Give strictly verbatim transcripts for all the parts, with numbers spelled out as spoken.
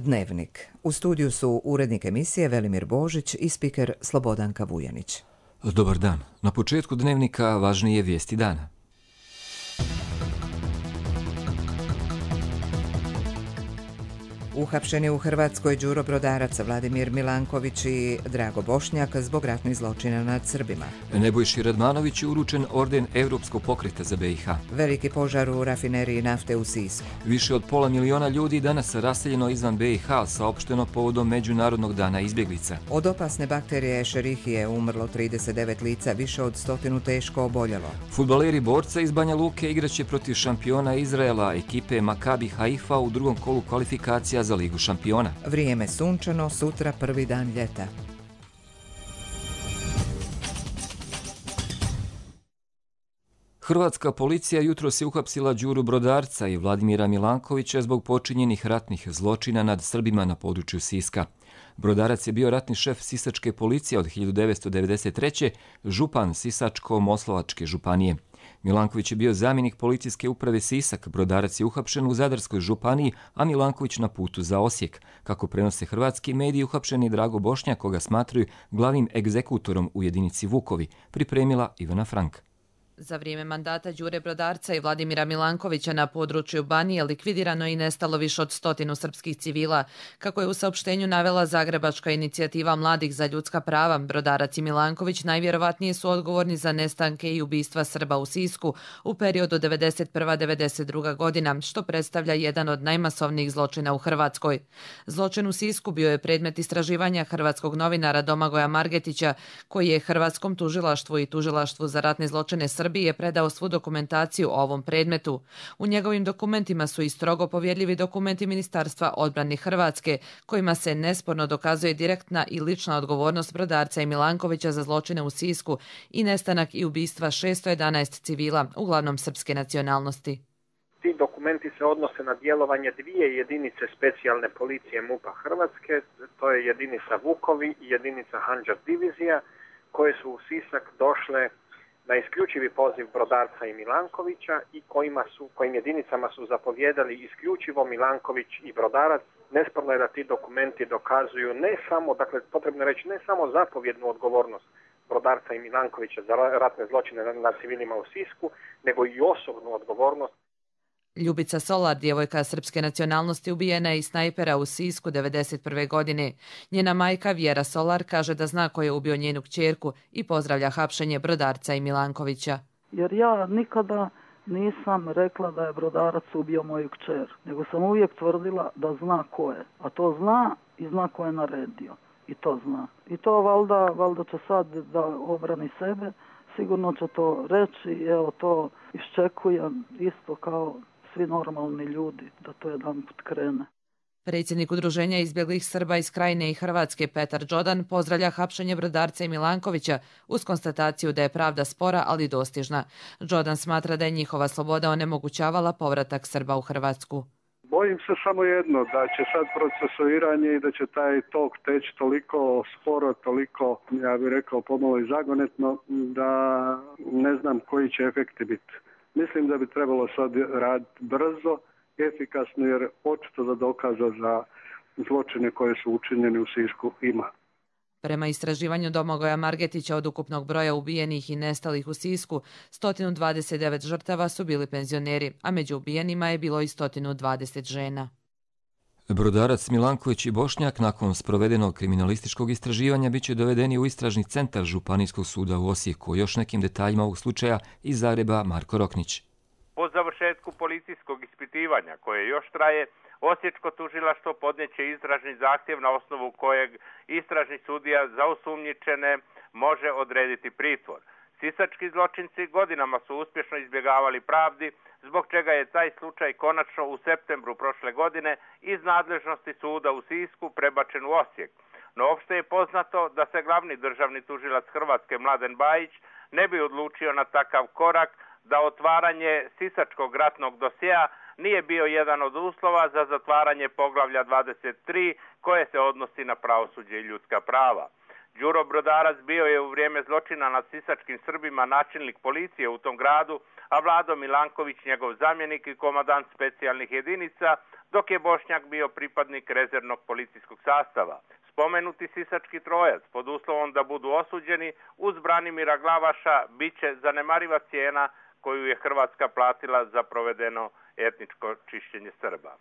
Dnevnik. U studiju su urednik emisije Velimir Božić i spiker Slobodanka Vujanić. Dobar dan. Na početku Dnevnika važnije vijesti dana. Uhapšeni u Hrvatskoj Đuro Brodarac, Vladimir Milanković i Drago Bošnjak zbog ratnih zločina nad Srbima. Nebojši Radmanović je uručen orden Europskog pokreta za B i H. Veliki požar u rafineriji nafte u Sisku. Više od pola miliona ljudi danas raseljeno izvan B i H, saopšteno povodom Međunarodnog dana izbjeglica. Od opasne bakterije Escherichie umrlo trideset devet lica, više od stotinu teško oboljelo. Fudbaleri borca iz Banja Luke igraće protiv šampiona Izraela, ekipe Makabi Haifa u drugom kolu kvalifikacija za Ligu šampiona. Vrijeme sunčano, sutra prvi dan ljeta. Hrvatska policija jutros je uhapsila Đuru Brodarca i Vladimira Milankovića zbog počinjenih ratnih zločina nad Srbima na području Siska. Brodarac je bio ratni šef Sisačke policije od hiljadu devetsto devedeset treće. župan Sisačko-Moslavačke županije. Milanković je bio zamjenik policijske uprave Sisak. Brodarac je uhapšen u Zadarskoj županiji, a Milanković na putu za Osijek. Kako prenose hrvatski mediji, uhapšen je Drago Bošnjak, koga smatraju glavnim egzekutorom u jedinici Vukovi, pripremila Ivana Frank. Za vrijeme mandata Đure Brodarca i Vladimira Milankovića na području Banije likvidirano i nestalo više od stotinu srpskih civila. Kako je u saopštenju navela Zagrebačka inicijativa mladih za ljudska prava, Brodarac i Milanković najvjerovatnije su odgovorni za nestanke i ubistva Srba u Sisku u periodu devedeset prva do devedeset druga godina, što predstavlja jedan od najmasovnijih zločina u Hrvatskoj. Zločin u Sisku bio je predmet istraživanja hrvatskog novinara Domagoja Margetića, koji je Hrvatskom tužilaštvu i Tužilaštvu za ratne zločine Srbije je predao svu dokumentaciju o ovom predmetu. U njegovim dokumentima su i strogo povjerljivi dokumenti Ministarstva odbrane Hrvatske, kojima se nesporno dokazuje direktna i lična odgovornost Brodarca i Milankovića za zločine u Sisku i nestanak i ubistva šesto jedanaest civila, uglavnom srpske nacionalnosti. Ti dokumenti se odnose na djelovanje dvije jedinice specijalne policije MUP-a Hrvatske, to je jedinica Vukovi i jedinica Handžar divizija, koje su u Sisak došle na isključivi poziv Brodarca i Milankovića i kojima su, kojim jedinicama su zapovjedali isključivo Milanković i Brodarac. Nesporno je da ti dokumenti dokazuju ne samo, dakle potrebno je reći, ne samo zapovjednu odgovornost Brodarca i Milankovića za ratne zločine nad civilima u Sisku, nego i osobnu odgovornost. Ljubica Solar, djevojka srpske nacionalnosti, ubijena je iz snajpera u Sisku devedeset prve godine. Njena majka Vjera Solar kaže da zna ko je ubio njenu kćerku i pozdravlja hapšenje Brodarca i Milankovića. Jer ja nikada nisam rekla da je Brodarac ubio moju kćer, nego sam uvijek tvrdila da zna ko je. A to zna i zna ko je naredio. I to zna. I to valjda, valjda će sad da obrani sebe, sigurno će to reći i evo to iščekujem isto kao svi normalni ljudi, da to jedan put krene. Predsjednik Udruženja izbjeglih Srba iz Krajine i Hrvatske Petar Đodan pozdravlja hapšenje Brodarca i Milankovića uz konstataciju da je pravda spora, ali dostižna. Đodan smatra da je njihova sloboda onemogućavala povratak Srba u Hrvatsku. Bojim se samo jedno, da će sad procesuiranje i da će taj tok teći toliko sporo, toliko, ja bih rekao, pomalo i zagonetno, da ne znam koji će efekti biti. Mislim da bi trebalo sad raditi brzo, efikasno, jer očito da dokaza za zločine koje su učinjeni u Sisku ima. Prema istraživanju Domagoja Margetića, od ukupnog broja ubijenih i nestalih u Sisku, sto dvadeset devet žrtava su bili penzioneri, a među ubijenima je bilo i sto dvadeset žena. Brodarac, Milanković i Bošnjak nakon sprovedenog kriminalističkog istraživanja biće dovedeni u istražni centar Županijskog suda u Osijeku. Još nekim detaljima ovog slučaja iz Zagreba Marko Roknić. Po završetku policijskog ispitivanja, koje još traje, Osječko tužilaštvo podnijeće istražni zahtjev na osnovu kojeg istražni sudija za osumnjičene može odrediti pritvor. Sisački zločinci godinama su uspješno izbjegavali pravdi, zbog čega je taj slučaj konačno u septembru prošle godine iz nadležnosti suda u Sisku prebačen u Osijek. No opšte je poznato da se glavni državni tužilac Hrvatske Mladen Bajić ne bi odlučio na takav korak, da otvaranje sisačkog ratnog dosjea nije bio jedan od uslova za zatvaranje poglavlja dvadeset tri koje se odnosi na pravosuđe i ljudska prava. Đuro Brodarac bio je u vrijeme zločina nad sisačkim Srbima načelnik policije u tom gradu, a Vlado Milanković njegov zamjenik i komandant specijalnih jedinica dok je Bošnjak bio pripadnik rezervnog policijskog sastava. Spomenuti sisački trojac, pod uslovom da budu osuđeni, uz Branimira Glavaša, bit će zanemariva cijena koju je Hrvatska platila za provedeno etničko čišćenje Srba.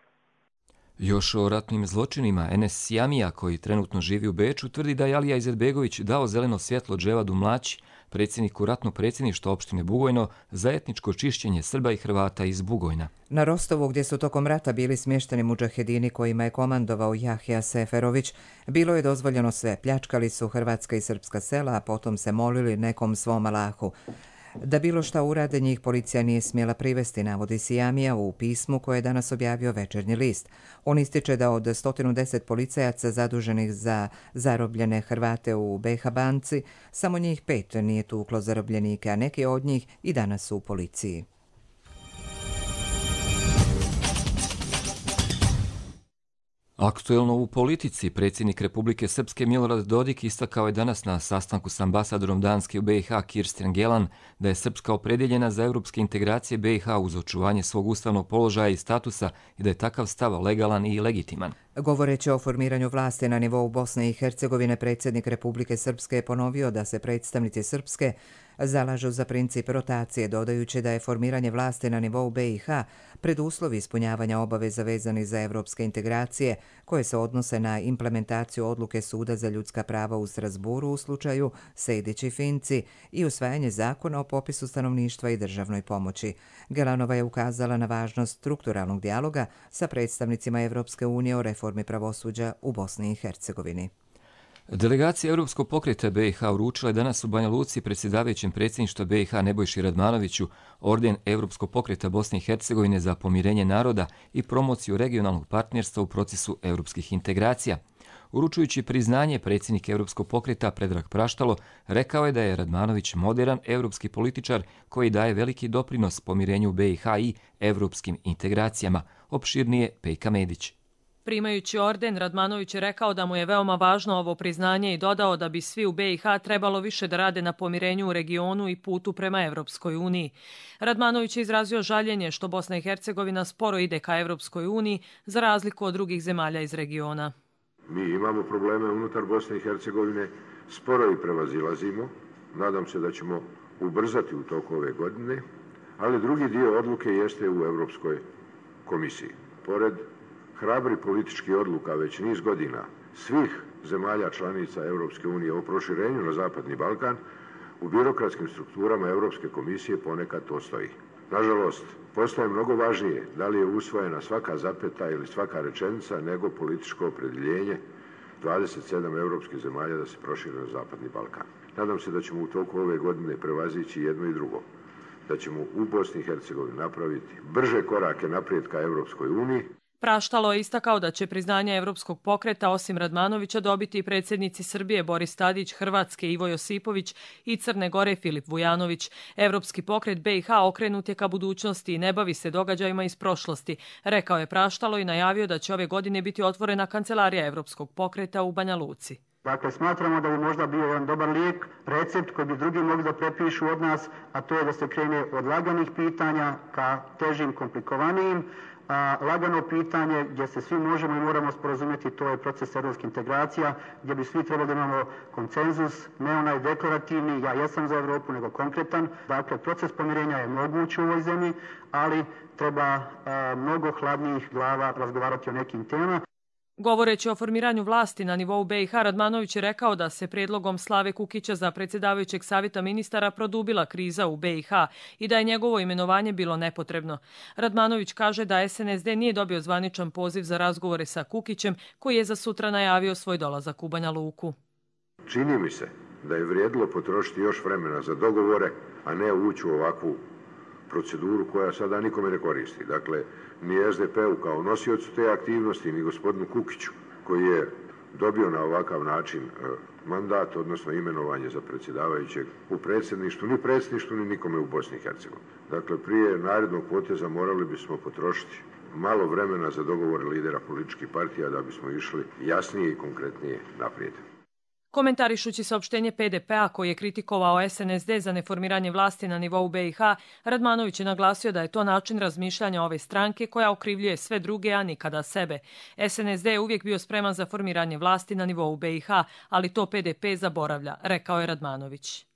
Još o ratnim zločinima, Enes Sjamija, koji trenutno živi u Beču, tvrdi da je Alija Izetbegović dao zeleno svjetlo Dževadu Mlaći, predsjedniku ratnog predsjedništva opštine Bugojno, za etničko čišćenje Srba i Hrvata iz Bugojna. Na Rostovu, gdje su tokom rata bili smješteni mudžahedini kojima je komandovao Jahja Seferović, bilo je dozvoljeno sve. Pljačkali su hrvatska i srpska sela, a potom se molili nekom svom Allahu. Da bilo šta urade, njih policija nije smjela privesti, navodi Sijamija u pismu koje je danas objavio Večernji list. On ističe da od sto deset policajaca zaduženih za zarobljene Hrvate u be ha banci, samo njih pet nije tuklo zarobljenike, a neki od njih i danas su u policiji. Aktuelno u politici, predsjednik Republike Srpske Milorad Dodik istakao je danas na sastanku s ambasadorom Danske u be i ha Kirsten Gelan da je Srpska opredjeljena za europske integracije be i ha uz očuvanje svog ustavnog položaja i statusa i da je takav stav legalan i legitiman. Govoreći o formiranju vlasti na nivou Bosne i Hercegovine, predsjednik Republike Srpske je ponovio da se predstavnici Srpske zalažu za princip rotacije, dodajući da je formiranje vlasti na nivou be i ha preduslov ispunjavanja obaveza vezanih za evropske integracije koje se odnose na implementaciju odluke Suda za ljudska prava u Strasburu u slučaju Sejdić i Finci i usvajanje zakona o popisu stanovništva i državnoj pomoći. Gelanova je ukazala na važnost strukturalnog dijaloga sa predstavnicima Evropske unije o reformi pravosuđa u Bosni i Hercegovini. Delegacija Europskog pokreta be i ha uručila je danas u Banja Luci predsjedavajućem predsjedništva be i ha Nebojši Radmanoviću orden Europskog pokreta Bosne i Hercegovine za pomirenje naroda i promociju regionalnog partnerstva u procesu europskih integracija. Uručujući priznanje, predsjednik Europskog pokreta Predrag Praštalo rekao je da je Radmanović moderan europski političar koji daje veliki doprinos pomirenju be i ha i europskim integracijama. Opširnije Pejka Medić. Primajući orden, Radmanović je rekao da mu je veoma važno ovo priznanje i dodao da bi svi u be i ha trebalo više da rade na pomirenju u regionu i putu prema Evropskoj uniji. Radmanović je izrazio žaljenje što Bosna i Hercegovina sporo ide ka Evropskoj uniji za razliku od drugih zemalja iz regiona. Mi imamo probleme unutar Bosne i Hercegovine, sporo i prevazilazimo. Nadam se da ćemo ubrzati u toku ove godine, ali drugi dio odluke jeste u Evropskoj komisiji. Pored hrabri politički odluka već niz godina svih zemalja članica Europske unije o proširenju na Zapadni Balkan, u birokratskim strukturama Europske komisije ponekad to stoji. Nažalost, postaje mnogo važnije da li je usvojena svaka zapeta ili svaka rečenica nego političko opredjeljenje dvadeset sedam europskih zemalja da se prošire na Zapadni Balkan. Nadam se da ćemo u toku ove godine prevazići jedno i drugo, da ćemo u Bosni i Hercegovini napraviti brže korake naprijed ka Europskoj uniji. Praštalo je istakao da će priznanje Evropskog pokreta osim Radmanovića dobiti i predsjednici Srbije Boris Tadić, Hrvatske Ivo Josipović i Crne Gore Filip Vujanović. Evropski pokret be i ha okrenut je ka budućnosti i ne bavi se događajima iz prošlosti, rekao je Praštalo i najavio da će ove godine biti otvorena kancelarija Evropskog pokreta u Banja Luci. Dakle, smatramo da bi možda bio jedan dobar lijek, recept koji bi drugi mogli da prepišu od nas, a to je da se krene od laganih pitanja ka težim, komplikovanijim. A, lagano pitanje gdje se svi možemo i moramo sporazumjeti, to je proces europskih integracija, gdje bi svi trebali da imamo konsenzus, ne onaj deklarativni, ja jesam za Europu, nego konkretan. Dakle, proces pomirenja je moguć u ovoj zemlji, ali treba a, mnogo hladnijih glava razgovarati o nekim temama. Govoreći o formiranju vlasti na nivou be i ha, Radmanović je rekao da se prijedlogom Slave Kukića za predsjedavajućeg savjeta ministara produbila kriza u be i ha i da je njegovo imenovanje bilo nepotrebno. Radmanović kaže da es en es de nije dobio zvaničan poziv za razgovore sa Kukićem, koji je za sutra najavio svoj dolazak u Banja Luku. Čini mi se da je vrijedilo potrošiti još vremena za dogovore, a ne ući u ovakvu proceduru koja sada nikome ne koristi. Dakle, ni es de pe u kao nosiocu te aktivnosti, ni gospodinu Kukiću, koji je dobio na ovakav način mandat, odnosno imenovanje za predsjedavajućeg u predsjedništvu, ni predsjedništvu, ni nikome u Bosni i Hercegovini. Dakle, prije narednog poteza morali bismo potrošiti malo vremena za dogovore lidera političkih partija da bismo išli jasnije i konkretnije naprijed. Komentarišući saopštenje P D P-a koji je kritikovao S N S D za neformiranje vlasti na nivou B i H, Radmanović je naglasio da je to način razmišljanja ove stranke koja okrivljuje sve druge, a nikada sebe. S N S D je uvijek bio spreman za formiranje vlasti na nivou B i H, ali to P D P zaboravlja, rekao je Radmanović.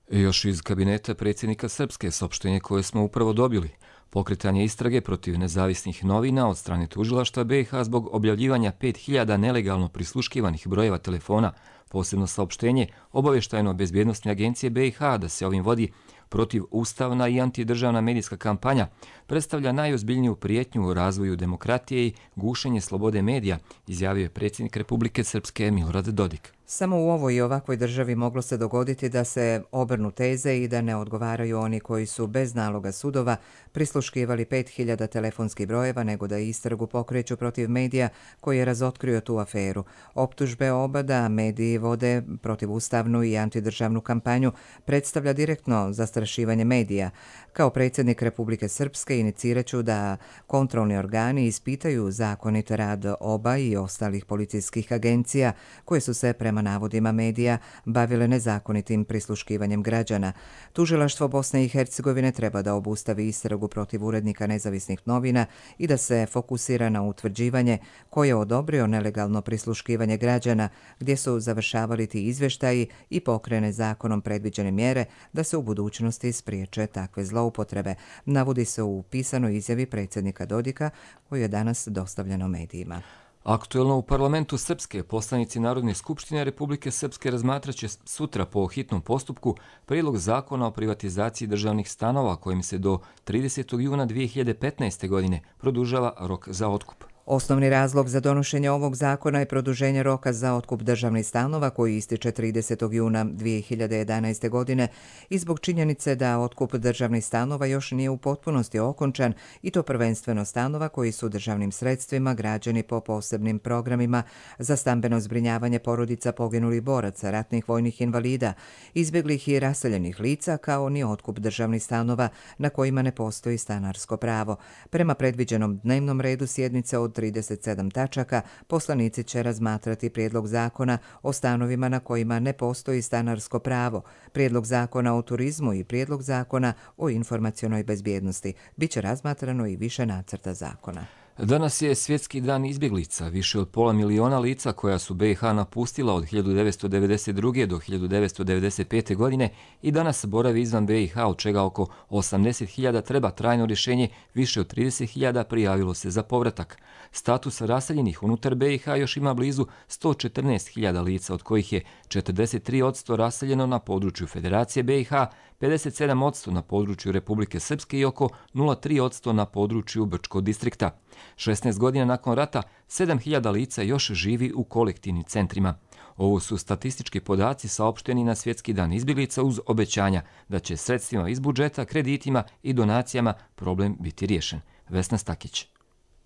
Još iz kabineta predsjednika Srpske saopštenje koje smo upravo dobili. Pokretanje istrage protiv nezavisnih novina od strane tužilaštva B i H zbog objavljivanja pet hiljada nelegalno prisluškivanih brojeva telefona. Posebno saopštenje obavještajno-bezbjednostne agencije B i H da se ovim vodi protiv ustavna i antidržavna medijska kampanja predstavlja najozbiljniju prijetnju u razvoju demokratije i gušenje slobode medija, izjavio je predsjednik Republike Srpske Milorad Dodik. Samo u ovoj i ovakvoj državi moglo se dogoditi da se obrnu teze i da ne odgovaraju oni koji su bez naloga sudova prisluškivali pet hiljada telefonskih brojeva, nego da istragu pokreću protiv medija koji je razotkrio tu aferu. Optužbe oba da mediji vode protivustavnu i antidržavnu kampanju predstavlja direktno zastrašivanje medija. Kao predsjednik Republike Srpske iniciraću da kontrolni organi ispitaju zakonit rad oba i ostalih policijskih agencija koje su se prema navodima medija bavile nezakonitim prisluškivanjem građana. Tužilaštvo Bosne i Hercegovine treba da obustavi istragu protiv urednika nezavisnih novina i da se fokusira na utvrđivanje ko je odobrio nelegalno prisluškivanje građana, gdje su završavali ti izvještaji i pokrene zakonom predviđene mjere da se u budućnosti spriječe takve zloupotrebe, navodi se u pisanoj izjavi predsjednika Dodika koju je danas dostavljeno medijima. Aktuelno u parlamentu Srpske poslanici Narodne skupštine Republike Srpske razmatraće sutra po hitnom postupku prijedlog zakona o privatizaciji državnih stanova kojim se do tridesetog juna dvije hiljade petnaeste. godine produžava rok za otkup. Osnovni razlog za donošenje ovog zakona je produženje roka za otkup državnih stanova koji ističe tridesetog juna dvije hiljade jedanaeste. godine i zbog činjenice da otkup državnih stanova još nije u potpunosti okončan i to prvenstveno stanova koji su državnim sredstvima građeni po posebnim programima za stambeno zbrinjavanje porodica poginulih boraca, ratnih vojnih invalida, izbjeglih i raseljenih lica, kao ni otkup državnih stanova na kojima ne postoji stanarsko pravo. Prema predviđenom dnevnom redu sjednice od trideset sedam tačaka, poslanici će razmatrati prijedlog zakona o stanovima na kojima ne postoji stanarsko pravo, prijedlog zakona o turizmu i prijedlog zakona o informacionoj bezbjednosti. Biće razmatrano i više nacrta zakona. Danas je Svjetski dan izbjeglica. Više od pola miliona lica koja su B i H napustila od hiljadu devetsto devedeset druge. do hiljadu devetsto devedeset pete. godine i danas boravi izvan B i H, od čega oko osamdeset hiljada treba trajno rješenje, više od trideset hiljada prijavilo se za povratak. Status raseljenih unutar B i H još ima blizu sto četrnaest hiljada lica, od kojih je četrdeset tri posto raseljeno na području Federacije B i H, pedeset sedam posto na području Republike Srpske i oko nula zarez tri posto na području Brčkog distrikta. šesnaest godina nakon rata, sedam hiljada lica još živi u kolektivnim centrima. Ovo su statistički podaci saopšteni na Svjetski dan izbjeglica uz obećanja da će sredstvima iz budžeta, kreditima i donacijama problem biti riješen. Vesna Stakić.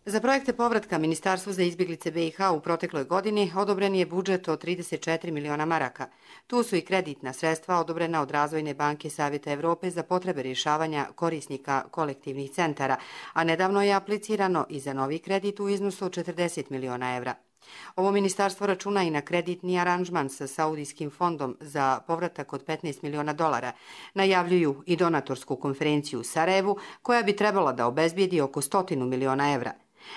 Za projekte povratka Ministarstvu za izbjeglice B i H u protekloj godini odobren je budžet od trideset četiri miliona maraka. Tu su i kreditna sredstva odobrena od Razvojne banke Savjeta Evrope za potrebe rješavanja korisnika kolektivnih centara, a nedavno je aplicirano i za novi kredit u iznosu od četrdeset miliona evra. Ovo ministarstvo računa i na kreditni aranžman sa Saudijskim fondom za povratak od petnaest miliona dolara. Najavljuju i donatorsku konferenciju u Sarajevu koja bi trebala da obezbijedi oko stotinu miliona evra.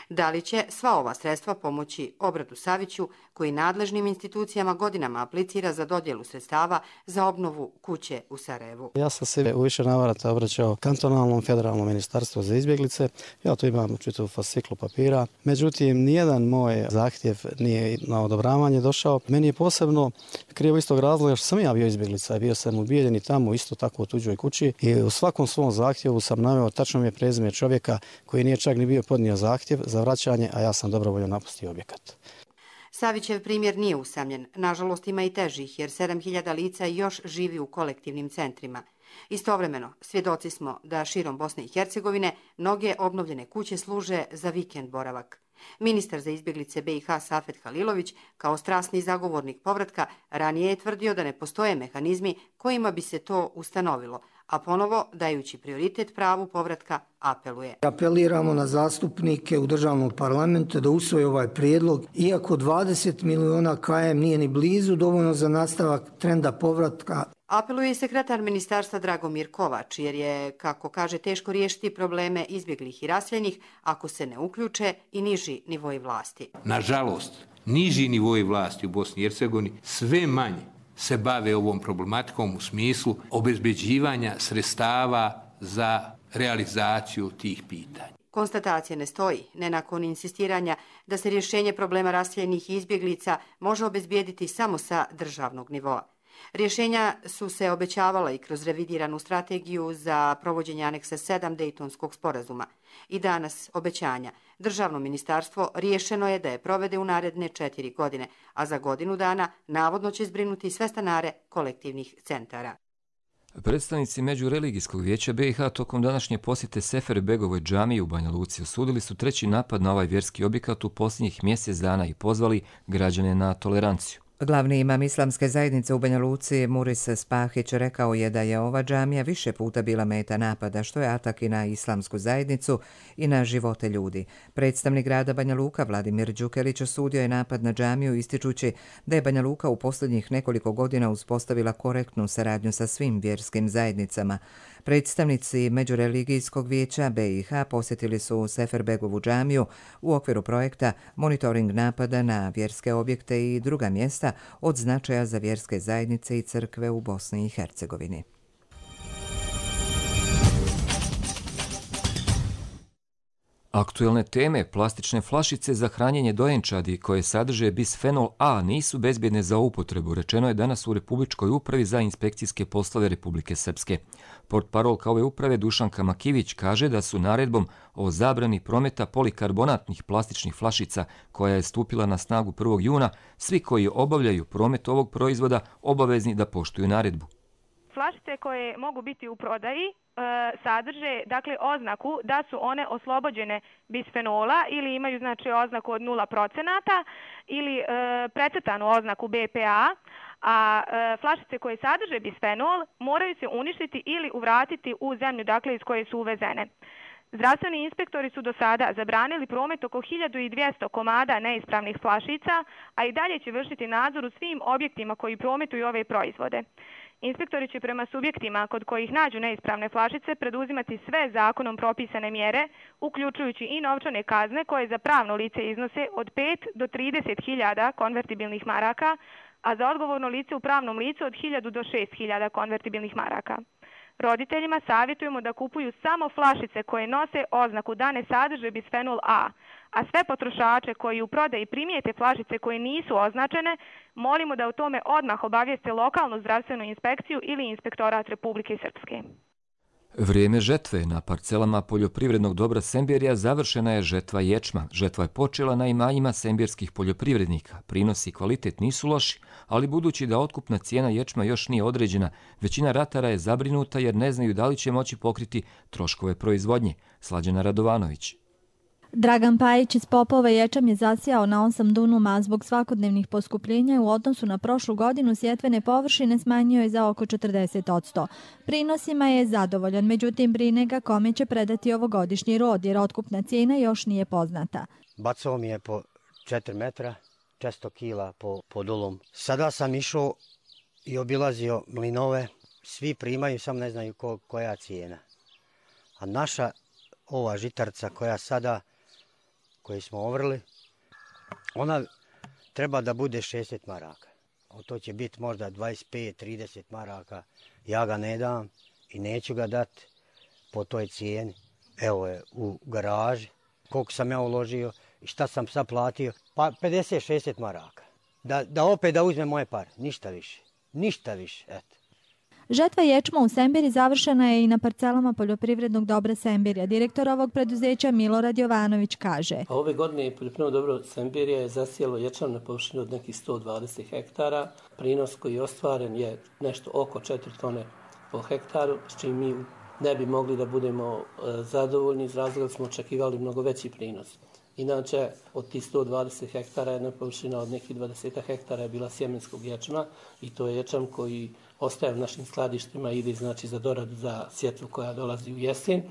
Da li će sva ova sredstva pomoći Obratu Saviću, koji nadležnim institucijama godinama aplicira za dodjelu sredstava za obnovu kuće u Sarajevu? Ja sam se u više navrata obraćao kantonalnom federalnom ministarstvu za izbjeglice. Ja tu imam čitavu fasciklu papira. Međutim, nijedan moj zahtjev nije na odobravanje došao. Meni je posebno krivo istog razloga što sam ja bio izbjeglica. Bio sam ubijeljen i tamo isto tako u tuđoj kući i u svakom svom zahtjevu sam naveo tačno mi je prezime čovjeka koji nije čak ni bio podnio zahtjev za vraćanje, a ja sam dobrovoljno napustio objekat. Savićev primjer nije usamljen. Nažalost, ima i težih, jer sedam hiljada lica još živi u kolektivnim centrima. Istovremeno, svjedoci smo da širom Bosne i Hercegovine mnoge obnovljene kuće služe za vikend boravak. Ministar za izbjeglice B i H Safet Halilović, kao strasni zagovornik povratka, ranije je tvrdio da ne postoje mehanizmi kojima bi se to ustanovilo, a ponovo, dajući prioritet pravu povratka, apeluje. Apeliramo na zastupnike u državnom parlamentu da usvoje ovaj prijedlog, iako dvadeset miliona kilometara nije ni blizu dovoljno za nastavak trenda povratka. Apeluje i sekretar ministarstva Dragomir Kovač, jer je, kako kaže, teško riješiti probleme izbjeglih i raseljenih ako se ne uključe i niži nivoji vlasti. Nažalost, niži nivoji vlasti u Bosni i Hercegovini sve manje se bave ovom problematikom u smislu obezbeđivanja sredstava za realizaciju tih pitanja. Konstatacija ne stoji, ne nakon insistiranja da se rješenje problema raseljenih i izbjeglica može obezbijediti samo sa državnog nivoa. Rješenja su se obećavala i kroz revidiranu strategiju za provođenje aneksa sedam Dejtonskog sporazuma. I danas obećanja. Državno ministarstvo riješeno je da je provede u naredne četiri godine, a za godinu dana navodno će zbrinuti sve stanare kolektivnih centara. Predstavnici Međureligijskog vijeća B i H tokom današnje posjete Seferbegovoj džamiji u Banja Luci osudili su treći napad na ovaj vjerski objekat u posljednjih mjesec dana i pozvali građane na toleranciju. Glavni imam islamske zajednice u Banja Luci, Muris Spahić, rekao je da je ova džamija više puta bila meta napada, što je atak i na islamsku zajednicu i na živote ljudi. Predstavnik grada Banja Luka, Vladimir Đukelić, osudio je napad na džamiju ističući da je Banja Luka u posljednjih nekoliko godina uspostavila korektnu saradnju sa svim vjerskim zajednicama. Predstavnici Međureligijskog vijeća B i H posjetili su Seferbegovu džamiju u okviru projekta Monitoring napada na vjerske objekte i druga mjesta od značaja za vjerske zajednice i crkve u Bosni i Hercegovini. Aktuelne teme, plastične flašice za hranjenje dojenčadi koje sadrže bisfenol A nisu bezbjedne za upotrebu, rečeno je danas u Republičkoj upravi za inspekcijske poslove Republike Srpske. Portparolka ove uprave Dušanka Makivić kaže da su naredbom o zabrani prometa polikarbonatnih plastičnih flašica koja je stupila na snagu prvog juna, svi koji obavljaju promet ovog proizvoda obavezni da poštuju naredbu. Flašice koje mogu biti u prodaji e, sadrže dakle oznaku da su one oslobođene bisfenola ili imaju znači oznaku od nula procenata ili e, precrtanu oznaku B P A, a e, flašice koje sadrže bisfenol moraju se uništiti ili uvratiti u zemlju dakle iz koje su uvezene. Zdravstveni inspektori su do sada zabranili promet oko hiljadu dvjesto komada neispravnih flašica, a i dalje će vršiti nadzor u svim objektima koji prometuju ove proizvode. Inspektori će prema subjektima kod kojih nađu neispravne flašice preduzimati sve zakonom propisane mjere, uključujući i novčane kazne koje za pravno lice iznose od pet do trideset hiljada konvertibilnih maraka, a za odgovorno lice u pravnom licu od hiljadu do šest hiljada konvertibilnih maraka. Roditeljima savjetujemo da kupuju samo flašice koje nose oznaku da ne sadrže bisfenol A, a sve potrošače koji u prodaji primijete flašice koje nisu označene, molimo da o tome odmah obavijeste lokalnu zdravstvenu inspekciju ili inspektorat Republike Srpske. Vrijeme žetve. Na parcelama poljoprivrednog dobra Semberija završena je žetva ječma. Žetva je počela na imanjima sembirskih poljoprivrednika. Prinosi i kvalitet nisu loši, ali budući da otkupna cijena ječma još nije određena, većina ratara je zabrinuta jer ne znaju da li će moći pokriti troškove proizvodnje. Slađana Radovanović. Dragan Pajić iz Popova ječam je zasijao na osam dunuma, a zbog svakodnevnih poskupljenja u odnosu na prošlu godinu sjetvene površine smanjio je za oko četrdeset posto. Prinosima je zadovoljan, međutim brine ga kome će predati ovogodišnji rod, jer otkupna cijena još nije poznata. Bacao mi je po četiri metra, često kila po, po dulom. Sada sam išao i obilazio mlinove, svi primaju, sam ne znaju ko, koja cijena. A naša ova žitarca koja sada koji smo ovrli, ona treba da bude šezdeset maraka. A to će biti možda dvadeset pet do trideset maraka. Ja ga ne dam i neću ga dati po toj cijeni. Evo je u garaži. Koliko sam ja uložio i šta sam sad platio? Pa pedeset do šezdeset maraka. Da, da opet da uzme moje pare. Ništa više. Ništa više. Eto. Žetva ječma u Sembiri završena je i na parcelama poljoprivrednog dobra Sembirija. Direktor ovog preduzeća Milorad Jovanović kaže. A ove godine poljoprivredno dobro Sembirija je zasijelo ječam na površini od nekih sto dvadeset hektara. Prinos koji je ostvaren je nešto oko četiri tone po hektaru, s čim mi ne bi mogli da budemo zadovoljni iz razloga da smo očekivali mnogo veći prinos. Inače, od tih sto dvadeset hektara jedna površina od nekih dvadeset hektara je bila sjemenskog ječma i to je ječam koji ostaje u našim skladištima i ide znači za doradu za sjetvu koja dolazi u jesen,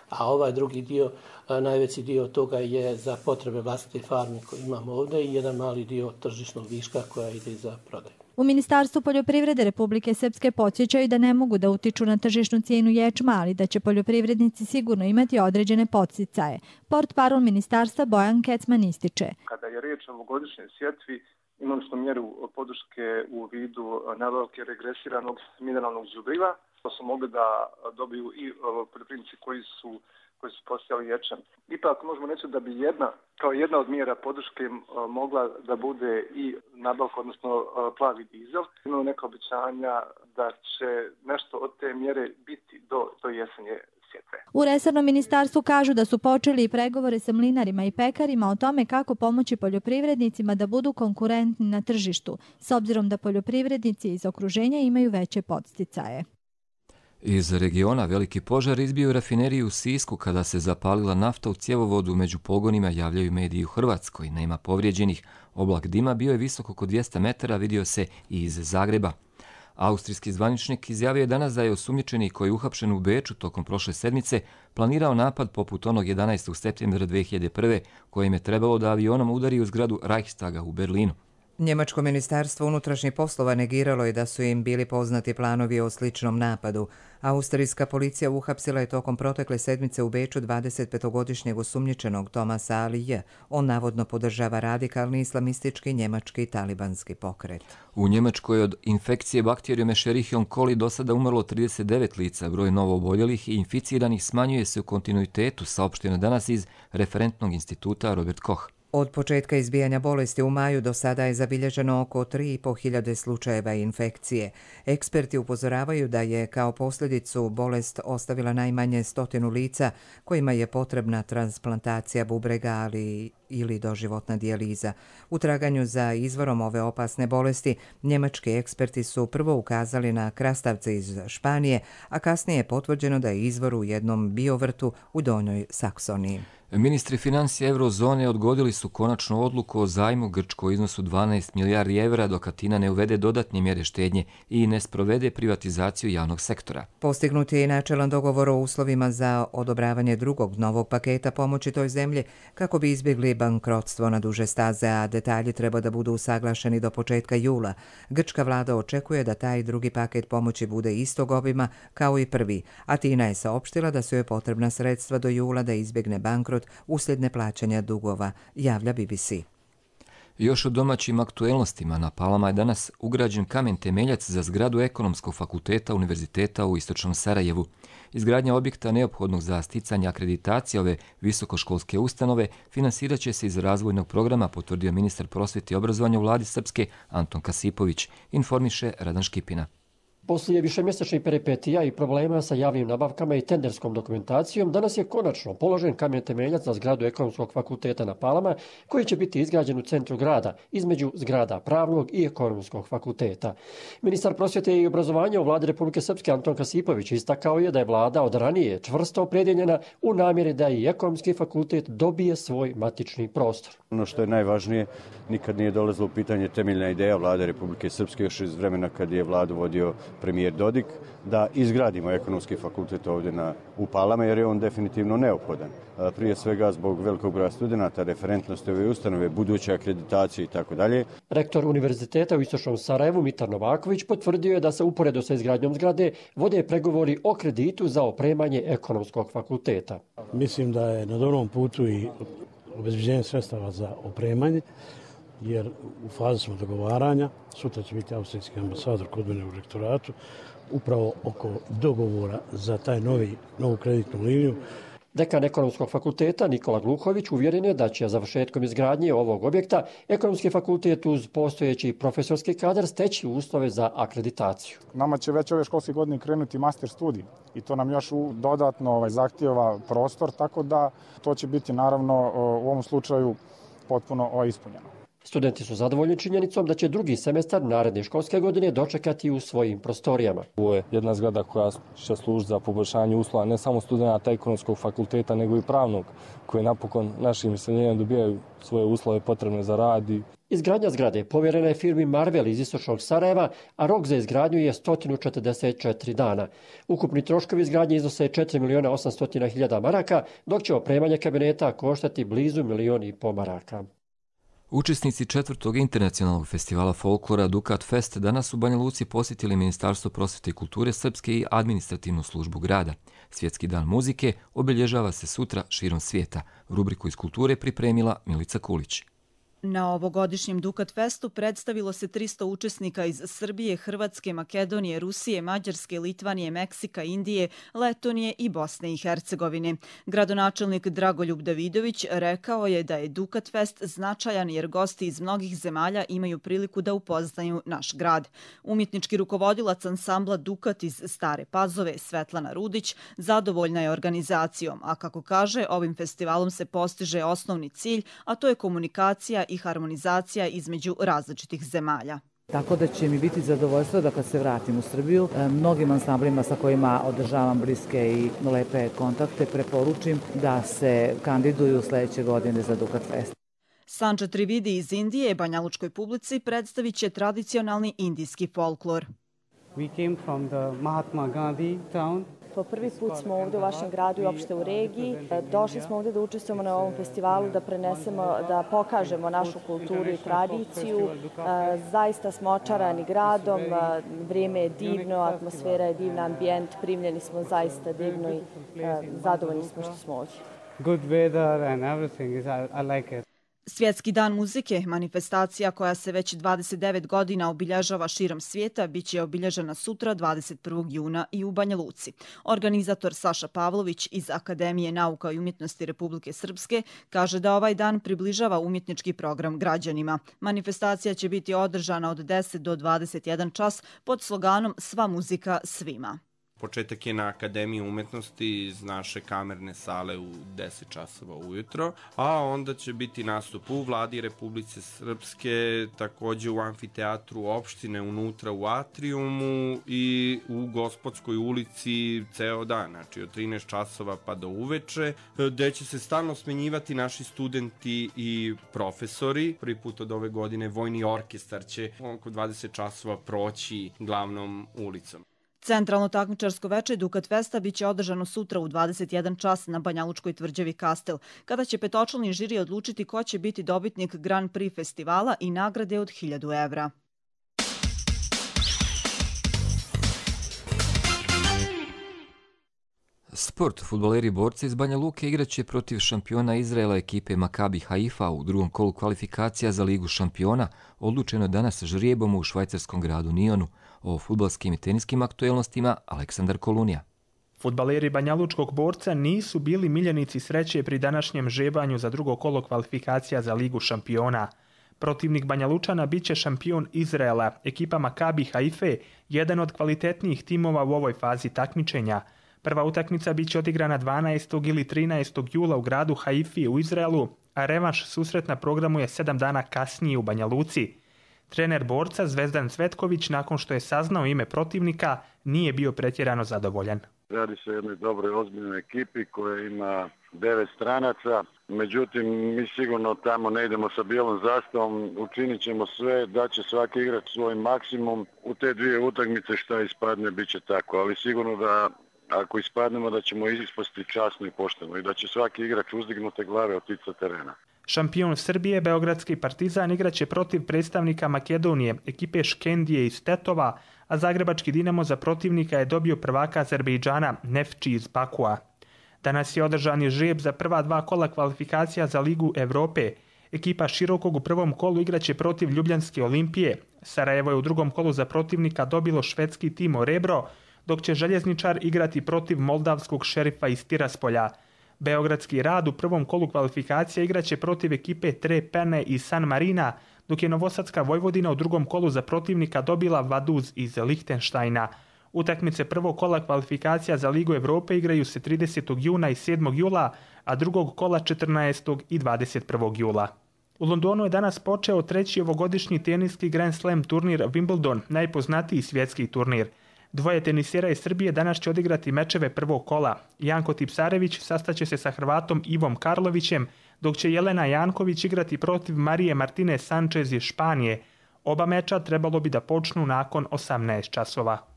a ovaj drugi dio, najveći dio toga je za potrebe vlastite farme koje imamo ovdje i jedan mali dio tržišnog viška koja ide za prodaju. U Ministarstvu poljoprivrede Republike Srpske podsjećaju da ne mogu da utiču na tržišnu cijenu ječma, ali da će poljoprivrednici sigurno imati određene podsticaje. Portparol ministarstva Bojan Kecman ističe. Kada je riječ o ovogodišnjoj sjetvi, imali smo mjeru podrške u vidu nabavke regresiranog mineralnog đubriva, što su mogli da dobiju i poljoprivrednici koji su koji su posijali ječam. Ipak možemo reći da bi jedna, kao jedna od mjera podrške mogla da bude i nabavka, odnosno plavi dizel. Imamo neka obećanja da će nešto od te mjere biti do, do jesenje sjetve. U resornom ministarstvu kažu da su počeli i pregovore sa mlinarima i pekarima o tome kako pomoći poljoprivrednicima da budu konkurentni na tržištu, s obzirom da poljoprivrednici iz okruženja imaju veće podsticaje. Iz regiona veliki požar izbio u rafineriju u Sisku kada se zapalila nafta u cjevovodu. Među pogonima javljaju mediji u Hrvatskoj. Nema povrijeđenih. Oblak dima bio je visok oko dvjesto metara, vidio se i iz Zagreba. Austrijski zvaničnik izjavio je danas da je osumnjičeni koji je uhapšen u Beču tokom prošle sedmice planirao napad poput onog jedanaestog septembra dvije hiljade prve kojem je trebalo da avionom udari u zgradu Reichstaga u Berlinu. Njemačko ministarstvo unutrašnjih poslova negiralo je da su im bili poznati planovi o sličnom napadu. Austrijska policija uhapsila je tokom protekle sedmice u Beču dvadesetpetogodišnjeg osumnjičenog Tomasa Alije. On navodno podržava radikalni islamistički njemački talibanski pokret. U Njemačkoj od infekcije bakterijom Escherichia coli do sada umrlo trideset devet lica. Broj novo oboljelih i inficiranih smanjuje se u kontinuitetu, saopšteno danas iz referentnog instituta Robert Koch. Od početka izbijanja bolesti u maju do sada je zabilježeno oko tri i po hiljade slučajeva infekcije. Eksperti upozoravaju da je kao posljedicu bolest ostavila najmanje stotinu lica kojima je potrebna transplantacija bubrega, ali ili doživotna dijaliza. U traganju za izvorom ove opasne bolesti, njemački eksperti su prvo ukazali na krastavce iz Španije, a kasnije je potvrđeno da je izvor u jednom biovrtu u Donjoj Saksoniji. Ministri financija eurozone odgodili su konačnu odluku o zajmu Grčkoj u iznosu dvanaest milijardi evra dok Atina ne uvede dodatne mjere štednje i ne sprovede privatizaciju javnog sektora. Postignut je i načelan dogovor o uslovima za odobravanje drugog novog paketa pomoći toj zemlji kako bi izbjegli bankrotstvo na duže staze, a detalji treba da budu usaglašeni do početka jula. Grčka vlada očekuje da taj drugi paket pomoći bude istog obima kao i prvi. Atina je saopštila da su joj potrebna sredstva do jula da izbjegne bankrot uslijed neplaćanja dugova, javlja B B C. Još o domaćim aktuelnostima, na Palama je danas ugrađen kamen temeljac za zgradu Ekonomskog fakulteta Univerziteta u istočnom Sarajevu. Izgradnja objekta neophodnog za sticanje akreditacije ove visokoškolske ustanove finansirat će se iz razvojnog programa, potvrdio ministar prosvjete i obrazovanja u vladi Srpske Anton Kasipović, informiše Radan Škipina. Poslije višemjesečnih peripetija i problema sa javnim nabavkama i tenderskom dokumentacijom, danas je konačno položen kamen temeljac za zgradu Ekonomskog fakulteta na Palama, koji će biti izgrađen u centru grada, između zgrada Pravnog i Ekonomskog fakulteta. Ministar prosvjete i obrazovanja u vladi Republike Srpske Anton Kasipović istakao je da je vlada od ranije čvrsto opredjeljena u namjeri da i Ekonomski fakultet dobije svoj matični prostor. Ono što je najvažnije, nikad nije dolazilo u pitanje temeljna ideja vlade Republike Srpske još iz vremena kad je vladu vodio premijer Dodik, da izgradimo Ekonomski fakultet ovdje na, u Palama, jer je on definitivno neophodan. Prije svega zbog velikog broja studenata, referentnosti ove ustanove, buduće akreditacije i tako dalje. Rektor Univerziteta u istočnom Sarajevu Mitar Novaković potvrdio je da se uporedo sa izgradnjom zgrade vode pregovori o kreditu za opremanje Ekonomskog fakulteta. Mislim da je na dobrom putu i obezbeđenje sredstava za opremanje, jer u fazi smo dogovaranja. Sutra će biti austrijski ambasador kod mene u rektoratu, upravo oko dogovora za taj novi, novu kreditnu liniju. Dekan Ekonomskog fakulteta Nikola Gluhović uvjeren je da će završetkom izgradnje ovog objekta Ekonomski fakultet uz postojeći profesorski kadar steći uslove za akreditaciju. Nama će već ove školske godine krenuti master studij i to nam još dodatno ovaj, zahtijeva prostor, tako da to će biti naravno u ovom slučaju potpuno ispunjeno. Studenti su zadovoljni činjenicom da će drugi semestar naredne školske godine dočekati u svojim prostorijama. Ovo je jedna zgrada koja će služiti za poboljšanje uslova ne samo studenta ekonomskog fakulteta, nego i pravnog, koji napokon našim iseljenjem dobijaju svoje uslove potrebne za rad. Izgradnja zgrade povjerena je firmi Marvel iz istočnog Sarajeva, a rok za izgradnju je sto četrdeset četiri dana. Ukupni troškovi izgradnje iznose četiri miliona osamsto hiljada maraka, dok će opremanje kabineta koštati blizu milion i po maraka. Učesnici četvrtog internacionalnog festivala folklora Dukat Fest danas u Banja Luci posjetili Ministarstvo prosvjete i kulture Srpske i administrativnu službu grada. Svjetski dan muzike obilježava se sutra širom svijeta. Rubriku iz kulture pripremila Milica Kulić. Na ovogodišnjem Dukat Festu predstavilo se tristo učesnika iz Srbije, Hrvatske, Makedonije, Rusije, Mađarske, Litvanije, Meksika, Indije, Letonije i Bosne i Hercegovine. Gradonačelnik Dragoljub Davidović rekao je da je Dukat Fest značajan jer gosti iz mnogih zemalja imaju priliku da upoznaju naš grad. Umjetnički rukovodilac ansambla Dukat iz Stare Pazove, Svetlana Rudić, zadovoljna je organizacijom, a kako kaže, ovim festivalom se postiže osnovni cilj, a to je komunikacija i harmonizacija između različitih zemalja. Tako da će mi biti zadovoljstvo da kad se vratim u Srbiju, mnogim ansamblima sa kojima održavam bliske i lepe kontakte preporučim da se kandiduju sljedeće godine za Dukat Fest. Sanđa Trividi iz Indije banjalučkoj publici predstavit će tradicionalni indijski folklor. We came from the Mahatma Gandhi town. Po prvi put smo ovdje u vašem gradu i opšte u regiji. Došli smo ovdje da učestvujemo na ovom festivalu, da prenesemo, da pokažemo našu kulturu i tradiciju. Zaista smo očarani gradom, vrijeme je divno, atmosfera je divna, ambijent, primljeni smo zaista divno i zadovoljni smo što smo ovdje. Good weather and everything is, I like it. Svjetski dan muzike, manifestacija koja se već dvadeset devet godina obilježava širom svijeta, bit će obilježena sutra dvadeset prvog juna i u Banja Luci. Organizator Saša Pavlović iz Akademije nauka i umjetnosti Republike Srpske kaže da ovaj dan približava umjetnički program građanima. Manifestacija će biti održana od deset do dvadeset jedan čas pod sloganom Sva muzika svima. Početak je na Akademiji umetnosti iz naše kamerne sale u deset časova ujutro, a onda će biti nastup u Vladi Republike Srpske, također u amfiteatru opštine unutra u atriumu i u Gospodskoj ulici ceo dan, znači od trinaest časova pa do uveče, gde će se stalno smenjivati naši studenti i profesori. Prvi put od ove godine Vojni orkestar će oko dvadeset časova proći glavnom ulicom. Centralno takmičarsko veče Dukat Festa biće održano sutra u dvadeset jedan čas na Banjalučkoj tvrđavi Kastel, kada će petočlani žiri odlučiti ko će biti dobitnik Grand Prix festivala i nagrade od hiljadu evra. Sport. Fudbaleri borci iz Banja Luke igraće protiv šampiona Izraela ekipe Makabi Haifa u drugom kolu kvalifikacija za Ligu šampiona, odlučeno danas žrijebom u švajcarskom gradu Nionu. O fudbalskim i teniskim aktuelnostima Aleksandar Kolunija. Fudbaleri banjalučkog borca nisu bili miljenici sreće pri današnjem žebanju za drugo kolo kvalifikacija za Ligu šampiona. Protivnik Banjalučana biće šampion Izraela, ekipa Makabi Haife, jedan od kvalitetnijih timova u ovoj fazi takmičenja. Prva utakmica biće odigrana dvanaestog ili trinaestog jula u gradu Haifi u Izraelu, a revanš susret na programu je sedam dana kasnije u Banja Luci. Trener borca Zvezdan Cvetković, nakon što je saznao ime protivnika, nije bio pretjerano zadovoljan. Radi se o jednoj dobroj, ozbiljnoj ekipi koja ima devet stranaca. Međutim, mi sigurno tamo ne idemo sa bijelom zastavom, učinit ćemo sve da će svaki igrač svoj maksimum. U te dvije utakmice šta ispadne, bit će tako, ali sigurno da ako ispadnemo da ćemo ispasti časno i pošteno i da će svaki igrač uzdignute glave otići sa terena. Šampion Srbije, Beogradski Partizan, igraće protiv predstavnika Makedonije, ekipe Škendije iz Tetova, a Zagrebački Dinamo za protivnika je dobio prvaka Azerbejdžana Nefči iz Bakua. Danas je održan žreb za prva dva kola kvalifikacija za Ligu Evrope. Ekipa Širokog u prvom kolu igraće protiv Ljubljanske Olimpije. Sarajevo je u drugom kolu za protivnika dobilo švedski Timo Rebro, dok će Željezničar igrati protiv moldavskog Šerifa iz Tiraspolja. Beogradski Rad u prvom kolu kvalifikacija igraće protiv ekipe Trepene iz San Marina, dok je Novosadska Vojvodina u drugom kolu za protivnika dobila Vaduz iz Lihtenštajna. Utakmice prvog kola kvalifikacija za Ligu Evrope igraju se tridesetog juna i sedmog jula, a drugog kola četrnaestog i dvadeset prvog jula. U Londonu je danas počeo treći ovogodišnji teniski Grand Slam turnir Wimbledon, najpoznatiji svjetski turnir. Dvoje tenisera iz Srbije danas će odigrati mečeve prvog kola. Janko Tipsarević sastaće se sa Hrvatom Ivom Karlovićem, dok će Jelena Janković igrati protiv Marije Martine Sanchez iz Španije. Oba meča trebalo bi da počnu nakon osamnaest časova.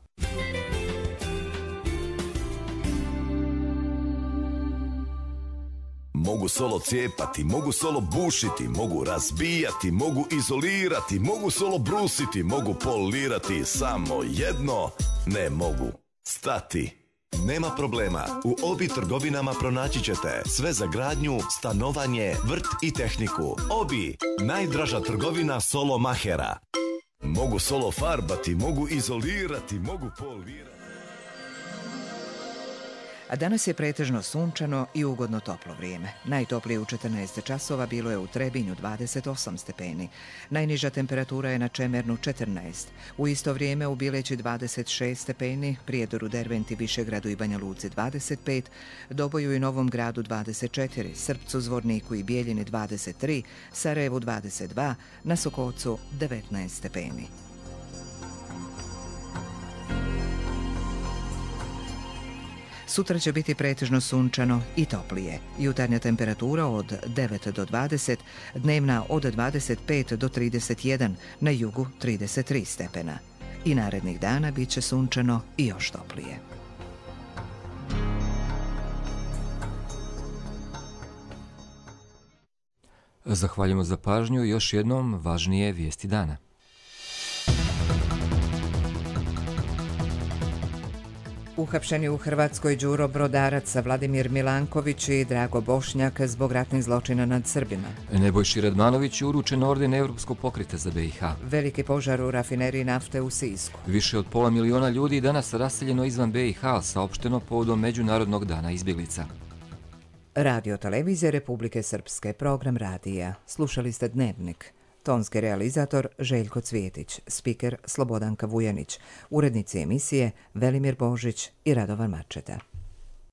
Mogu solo cijepati, mogu solo bušiti, mogu razbijati, mogu izolirati, mogu solo brusiti, mogu polirati, samo jedno ne mogu stati. Nema problema, u Obi trgovinama pronaći ćete sve za gradnju, stanovanje, vrt i tehniku. Obi, najdraža trgovina solo mahera. Mogu solo farbati, mogu izolirati, mogu polirati. A danas je pretežno sunčano i ugodno toplo vrijeme. Najtoplije u četrnaest časova bilo je u Trebinju dvadeset osam stepeni. Najniža temperatura je na Čemernu četrnaest. U isto vrijeme u Bileći dvadeset šest stepeni, Prijedoru, Derventi, Višegradu i Banja Luci dvadeset pet, Doboju i Novom Gradu dvadeset četiri, Srpcu, Zvorniku i Bijeljini dvadeset tri, Sarajevu dvadeset dva, na Sokocu devetnaest stepeni. Sutra će biti pretežno sunčano i toplije. Jutarnja temperatura od devet do dvadeset, dnevna od dvadeset pet do trideset jedan, na jugu trideset tri stepena. I narednih dana bit će sunčano i još toplije. Zahvaljujemo za pažnju i još jednom važnije vijesti dana. Uhapšeni u Hrvatskoj Đuro Brodarac, Vladimir Milanković i Drago Bošnjak zbog ratnih zločina nad Srbima. Nebojši Radmanović je uručen orden Europskog pokreta za B i H. Veliki požar u rafineriji nafte u Sisku. Više od pola miliona ljudi danas raseljeno izvan B i H, saopšteno povodom Međunarodnog dana izbjeglica. Radio televizije Republike Srpske, program radija. Slušali ste Dnevnik. Tonski realizator Željko Cvijetić, spiker Slobodanka Vujanić, urednici emisije Velimir Božić i Radovan Mačeta.